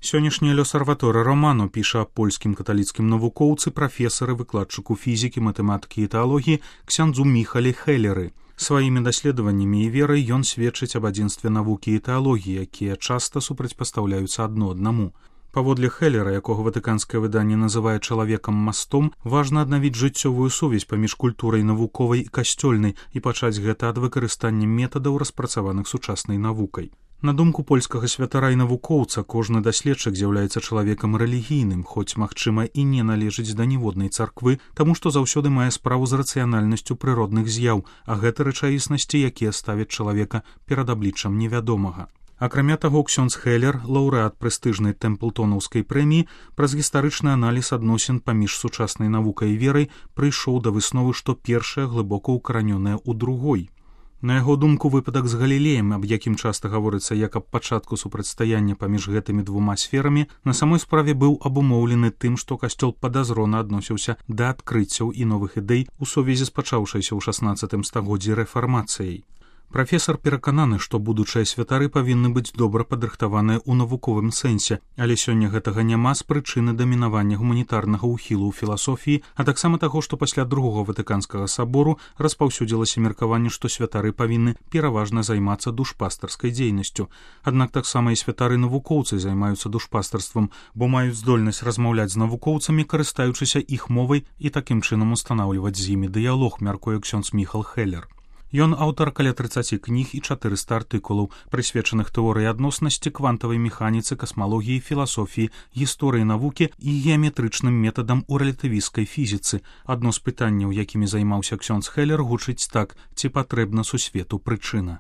Сённяшняя лёсарваторы роману піша аб польскім каталіцкім навукоўцы, прафесары, выкладчыку фізікі, матэматыкі і тэалогіі ксяндзу Міхалі Хелеры. Сваімі даследаваннямі і верай ён сведчыць аб адзінстве навукі і тэалогіі, якія часта супрацьпастаўляюцца адно аднаму. Паводле Хелера, якога ватыканскае выданне называе чалавекам-мастом, важна аднавіць жыццёвую сувязь паміж культурай навуковай і касцёльнай і пачаць гэта ад выкарыстання метадаў, распрацаваных сучаснай навукай. На думку польскага святара і навукоўца, кожны даследчык з'яўляецца чалавекам рэлігійным, хоць, магчыма, і не належыць да ніводнай царквы, таму што заўсёды мае справу з рацыянальнасцю прыродных з'яў, а гэта рэчаіснасці, якія ставяць чалавека перад абліччам невядомага. Акрамя таго, ксёндз Хелер, лаўрэат прэстыжнай тэмплтонаўскай прэміі, праз гістарычны аналіз адносін паміж сучаснай навукай і верай прыйшоў да высновы, што першая глыбока ўкаранёная ў другой. На яго думку, выпадак з Галілеем, аб якім часта гаворыцца як аб пачатку супрацьстаяння паміж гэтымі двума сферамі, на самой справе быў абумоўлены тым, што касцёл падазрона адносіўся да адкрыццяў і новых ідэй у сувязі з пачаўшайся ў 16 стагоддзі рэфармацыяй. Прафесар перакананы, што будучыя святары павінны быць добра падрыхтаваныя ў навуковым сэнсе, але сёння гэтага няма з прычыны дамінавання гуманітарнага ўхілу ў філасофіі, а таксама таго, што пасля другога ватыканскага сабору распаўсюдзілася меркаванне, што святары павінны пераважна займацца душпастарскай дзейнасцю. Аднак таксама і святары-навукоўцы займаюцца душпастарствам, бо маюць здольнасць размаўляць з навукоўцамі, карыстаючыся іх мовай і такім чынам устанаўліваць з імі дыялог, мяркуе ксёндз Міхал Хелер. Ён аўтар каля 30 кніг і 400 артыкулаў, прысвечаных тэорыі адноснасці, квантавай механіцы, касмалогіі, філасофіі, гісторыі навукі і геаметрычным метадам у рэлятывісцкай фізіцы. Адно з пытанняў, якімі займаўся ксёндз Хелер, гучыць так: ці патрэбна сусвету прычына.